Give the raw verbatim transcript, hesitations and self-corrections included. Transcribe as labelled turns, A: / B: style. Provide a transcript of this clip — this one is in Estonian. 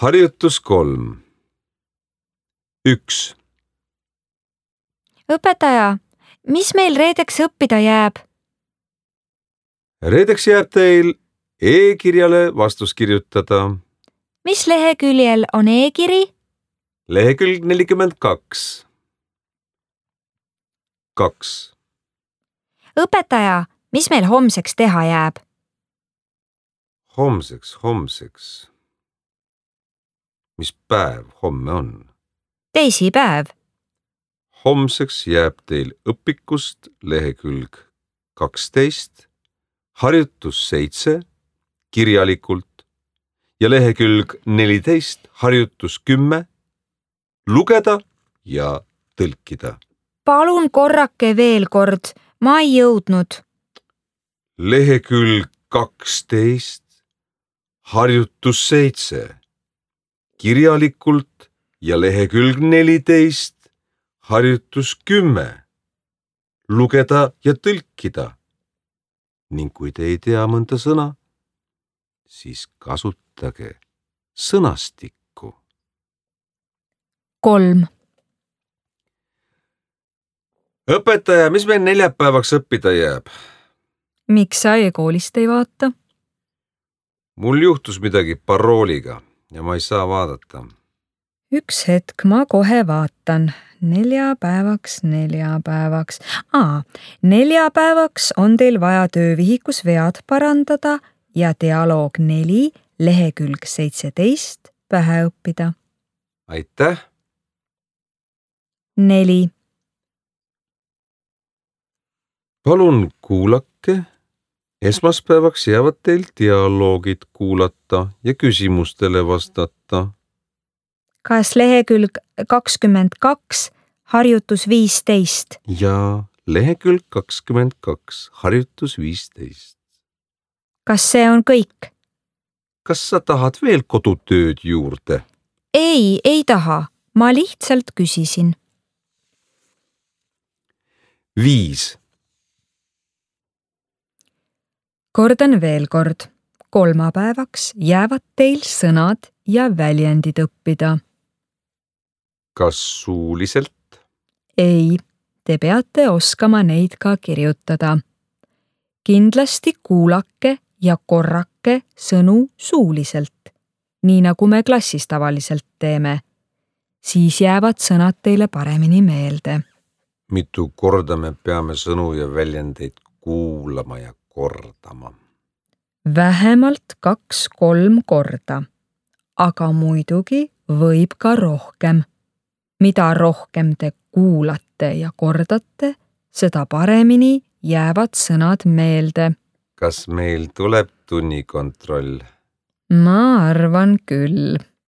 A: Harjutus kolm. Üks.
B: Õpetaja, mis meil reedeks õppida jääb?
A: Reedeks jääb teil e-kirjale vastus kirjutada.
B: Mis leheküljel on e-kiri?
A: Lehekülg nelikümmend kaks. Kaks.
B: Õpetaja, mis meil homseks teha jääb?
A: Homseks, homseks. Mis päev homme on?
B: Teisipäev.
A: Homseks jääb teil õpikust lehekülg kaksteist, harjutus seitse, kirjalikult ja lehekülg neliteist, harjutus kümme, lugeda ja tõlkida.
B: Palun korrake veel kord, ma ei jõudnud.
A: Lehekülg kaksteist, harjutus seitse, kirjalikult ja lehekülg neliteist, harjutus kümme, lugeda ja tõlkida. Ning kui te ei tea mõnda sõna, siis kasutage sõnastikku.
B: Kolm.
A: Õpetaja, mis meil neljapäevaks õppida jääb?
B: Miks sa e-koolist ei vaata?
A: Mul juhtus midagi parooliga ja ma ei saa vaadata.
B: Üks hetk, ma kohe vaatan. Neljapäevaks, neljapäevaks. Aa, neljapäevaks on teil vaja töövihikus vead parandada ja dialoog neli, lehekülg seitseteist pähe õppida.
A: Aitäh!
B: Neli.
A: Palun kuulake. Esmaspäevaks jäävad teil dialoogid kuulata ja küsimustele vastata.
B: Kas lehekülg kakskümmend kaks, harjutus viisteist?
A: Ja lehekülg kakskümmend kaks, harjutus viisteist.
B: Kas see on kõik?
A: Kas sa tahad veel kodutööd juurde?
B: Ei, ei taha. Ma lihtsalt küsisin.
A: Viis.
B: Kordan veel kord. Kolmapäevaks jäävad teil sõnad ja väljendid õppida.
A: Kas suuliselt?
B: Ei, te peate oskama neid ka kirjutada. Kindlasti kuulake ja korrake sõnu suuliselt, nii nagu me klassis tavaliselt teeme. Siis jäävad sõnad teile paremini meelde.
A: Mitu korda me peame sõnu ja väljendeid kuulama ja kordama?
B: Vähemalt kaks-kolm korda, aga muidugi võib ka rohkem. Mida rohkem te kuulate ja kordate, seda paremini jäävad sõnad meelde.
A: Kas meil tuleb tunnikontroll?
B: Ma arvan küll.